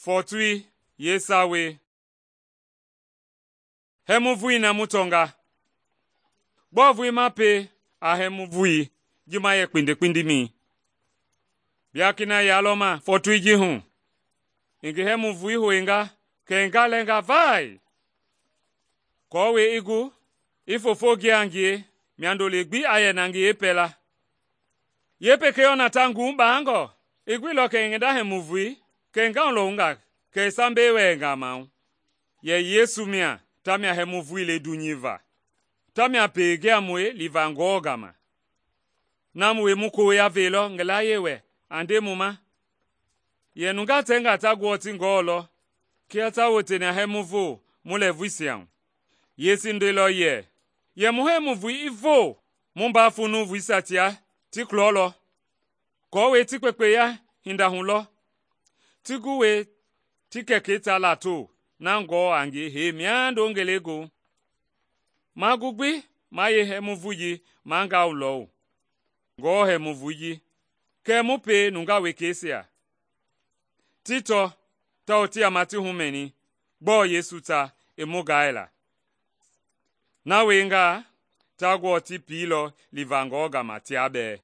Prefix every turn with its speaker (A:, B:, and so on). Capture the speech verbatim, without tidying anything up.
A: Fɔɔtoi yeesawei. Hɛmu vui na mu tɔnga. Gbɔɔ vui ma pie a hɛmu vui ji ma yɛ kpindi-kpindimɛi? Bia kina ya lɔ ma fɔɔtoi ji hu. I ngi hɛmu vui hoinga kɛ i galɛnga vai. Kɔɔwei i gu, i foofo gia a ngie, miando-le gbi a yɛ na ngi yeepɛla. Yeepekei ɔ na ta nguu baangɔ. I guilɔ kɛ i ngi hɛmu vui, kɛ i ngauwulɔwunga kɛ i sambɛi wɛɛnga maahu. Yɛ Yesu mia tamia hɛmu vui le dunyei va. Tamia peengiamɔi liva Ngewɔ gama. Na mu woi mu koya veilɔ ngi layie wɛ a nde mu ma. Yɛ nungaa tɛnga ta guɔ ti Ngewɔ lɔ, kia ta woteni a hɛmu voo mu lɛɛvuisia hu. Yesu ndeilɔ yɛ, yɛ mu hɛmu vui i voo, mu mbaa fu nuuvuisia tia ti kulɔlɔ. Kɔɔwei ti kpekpeya hinda hu lɔ. Ti guwei ti Kɛkɛi ta lato na Ngewɔ a ngie hee miando ngelegoohu. Ma gu gbi ma yeehɛmu vui ji ma ngauwulɔwu. Ngewɔ hɛmu vui ji, kɛɛ mu pie nungaa wekeisia. Ti tɔ tawao ti yama ti humɛni gbɔɔ Yesu ta i mu gaaila. Na wiengaa ta guɔ ti piilɔ liva Ngewɔ gama tia bɛɛ.